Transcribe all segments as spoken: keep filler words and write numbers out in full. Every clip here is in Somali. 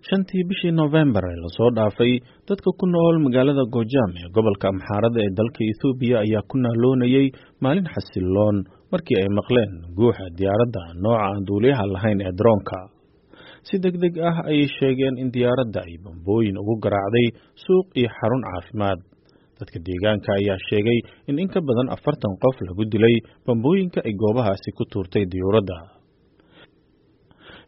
Shantii bishii Noofembar ee lasoo dhaafay, dadka ku nool magaalada Gojaam ee gobolka Amxaarada ee dalka Itoobiya ayaa ku naaloonayay maalin xasilloon markii ay maqleen guuxa diyaaradda nooca aan duuliyaha lahayn ee daroonka. Si degdeg ah ayay sheegeen in diyaaradda ay bambooyin ugu garaacday suuq iyo xarun caafimaad. Dadka deegaanka ayaa sheegay in in ka badan afartan qof lagu dilay bambooyinka ay goobahaasi ku tuurtay diyuuradda.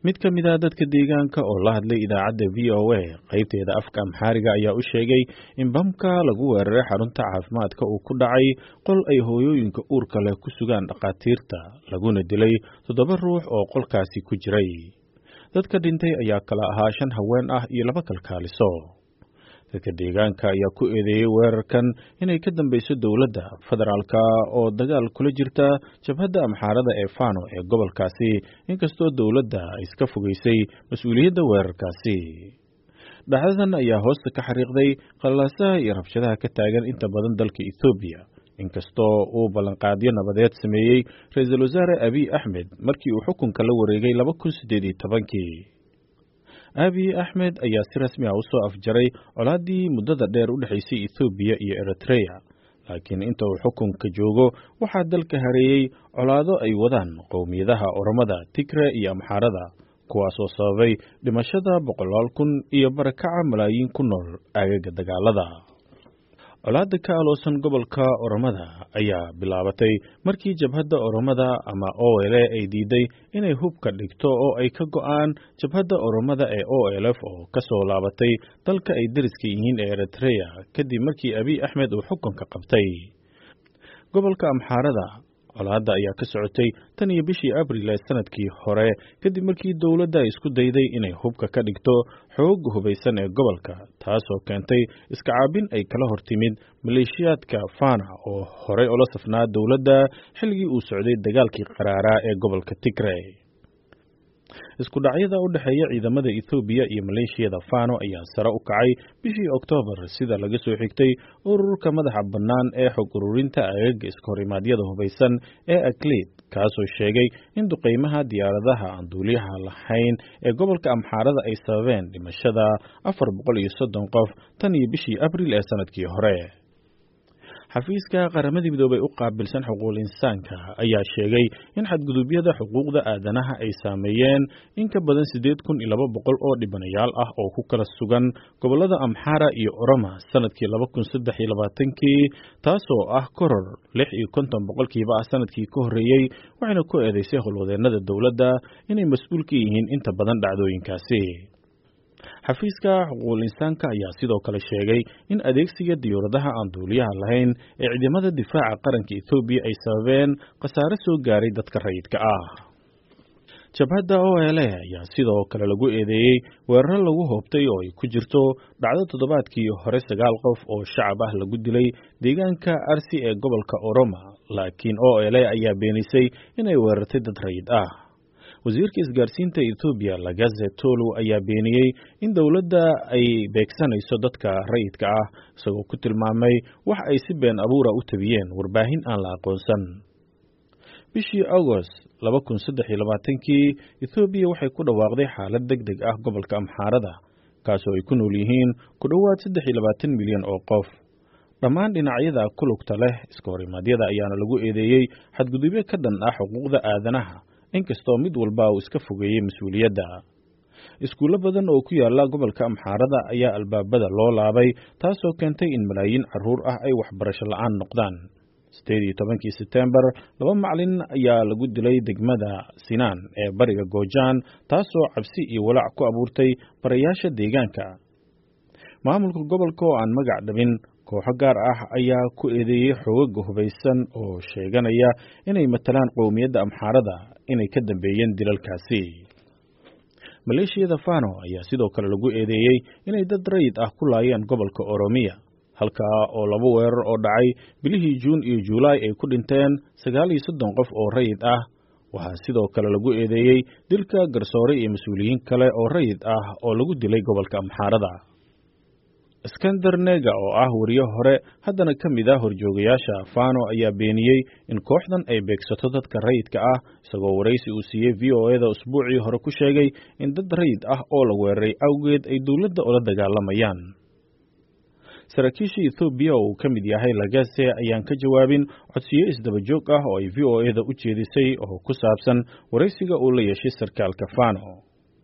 Mid ka mid ah dadka deegaanka oo la hadlay idaacadda V O A qaybteeda afka Amxaariga ayaa u sheegay in bamka lagu weeraray xarunta caafimaadka uu ku dhacay qol ay hooyooyinka uurka leh ku sugaan dhakhaatiirta, laguna dilay toddoba ruux oo qolkaasi ku jiray. Dadka dhintay ayaa kala ahaa shan haween ah iyo laba kalkaaliso. Dadka deegaanka ayaa ku eedeeyay weerarkan inay ka dambeyso dowladda federaalka oo dagaal kula jirta jabhadda Amxaarada ee Fano ee gobolkaasi, inkastoo dowladda ay iska fogeysay mas'uuliyadda weerarkaasi. Dhacdadan ayaa hoosta ka xariiqday qalaasaha iyo rabshadaha ka taagan inta badan dalka Itoobiya, inkastoo uu ballanqaadyo nabadeed sameeyey ra'iisul wasaare Abiy Ahmed markii uu xukunka la wareegay laba kun siddeed iyo tobankii. Abiy Ahmed ayaa si rasmi ah u soo afjaray colaaddii muddada dheer u dhexaysay Itoobiya iyo Eritrea, laakiin inta uu xukunka joogo waxaa dalka hareeyey colaado ay wadaan qowmiyadaha Oromada, Tigre iyo Amxaarada, kuwaasoo sababay dhimashada boqolaal kun iyo barakaca malaayiin ku nool aagaga dagaalada. Colaadda ka aloosan gobolka Oromada ayaa bilaabatay markii jabhadda Oromada ama O L A ay diiday inay hubka dhigto oo ay ka go'aan jabhadda Oromada ee O L F oo ka soo laabatay dalka ay deriska yihiin ee Eritrea kadib markii Abiy Ahmed uu xukunka qabtay. Gobolka Amxaarada colaadda ayaa ka socotay tan iyo bishii Abriil ee sanadkii hore kadib markii dowladda ay isku dayday inay hubka ka dhigto xoogga hubaysan ee gobolka, taasoo keentay iska caabin ay kala hortimid maleeshiyaadka Fana oo horey ula safnaa dowladda xilligii uu socday dagaalkii qaraaraa ee gobolka Tigray. Isku dhacyada u dhexeeya ciidamada Itoobiya iyo maleeshiyada Fano ayaa sare u kacay bishii Oktoobar, sida laga soo xigtay ururka madaxa bannaan ee xog ururinta aagaga iska horimaadyada hubaysan ee ACLED, kaasoo sheegay in duqeymaha diyaaradaha aan duuliyaha lahayn ee gobolka Amxaarada ay sababeen dhimashada afar boqol iyo soddon qof tan iyo bishii Abriil ee sanadkii hore. Xafiiska Qaramada Midoobay u qaabilsan xuquuqul insaanka ayaa sheegay in xadgudubyada xuquuqda aadanaha ay saameeyeen in ka badan siddeed kun iyo laba boqol oo dhibanayaal ah oo ku kala sugan gobollada Amxaara iyo Oroma sanadkii laba kun saddex iyo labaatankii, taasoo ah koror lix iyo konton boqolkiiba ah sanadkii ka horreeyey, waxayna ku eedeysay howlwadeennada dowladda inay mas'uul ka yihiin inta badan dhacdooyinkaasi. Xafiiska xuquuqul insaanka ayaa sidoo kale sheegay in adeegsiga diyuuradaha aan duuliyaha lahayn ee ciidamada difaaca qaranka Itoobiya ay sababeen khasaare soo gaaray dadka rayidka ah. Jabhadda O L A ayaa sidoo kale lagu eedeeyey weeraro lagu hoobtay oo ay ku jirto dhacdo toddobaadkii hore sagaal qof oo shacab ah lagu dilay deegaanka Arsi ee gobolka Oroma, laakiin O L A ayaa beenisay inay weerartay dad rayid ah. Wasiirka isgaarsiinta Itoobiya Lagaze Tolu ayaa beeniyey in dowladda ay beegsanayso dadka rayidka ah, isagoo ku tilmaamay wax ay si been abuura u tabiyeen warbaahin aan la aqoonsan. Bishii Agost laba kun saddex iyo labaatankii, Itoobiya waxay ku dhawaaqday xaalad degdeg ah gobolka Amxaarada, kaasoo ay ku nool yihiin ku dhowaad saddex iyo labaatan milyan oo qof. Dhammaan dhinacyada ku lugta leh iska horimaadyada ayaana lagu eedeeyey xadgudubyo ka dhan ah xuquuqda aadanaha, inkastoo mid walba uu iska fogeeyey mas'uuliyadda. Iskuullo badan oo ku yaala gobolka Amxaarada ayaa albaabada loo laabay, taasoo keentay in malaayiin carruur ah ay waxbarasho la'aan noqdaan. Sideed iyo tobankii Sebtembar, laba macalin ayaa lagu dilay degmada Sinaan ee bariga Goojaan, taasoo cabsi iyo walaac ku abuurtay barayaasha deegaanka. Maamulka gobolka oo aan magac dhabin kooxo gaar ah ayaa ku eedeeyey xoogagga hubaysan oo sheeganaya inay matalaan qowmiyadda Amxaarada inay ka dambeeyeen dilalkaasi. Maleeshiyada Fano ayaa sidoo kale lagu eedeeyey inay dad rayid ah ku laayeen gobolka Oromiya, halkaa oo laba weerar oo dhacay bilihii Juun iyo Juulaay ay ku dhinteen sagaal iyo soddon qof oo rayid ah. Waxaa sidoo kale lagu eedeeyey dilka garsoore iyo mas'uuliyiin kale oo rayid ah oo lagu dilay gobolka Amxaarada. Iskander Nega oo ah wariye hore haddana ka mid ah horjoogayaasha Fano ayaa beeniyey in kooxdan ay beegsato dadka rayidka ah, isagoo waraysi uu siiyey V O A da usbuucii hore ku sheegay in dad rayid ah oo la weeraray awgeed ay dowladda ula dagaalamayaan. Saraakiisha Ethoobiya oo uu ka mid yahay Lagase ayaan ka jawaabin codsiyo isdaba joog ah oo ay V O A da u jeedisay oo ku saabsan waraysiga uu la yeeshay sarkaalka Fano.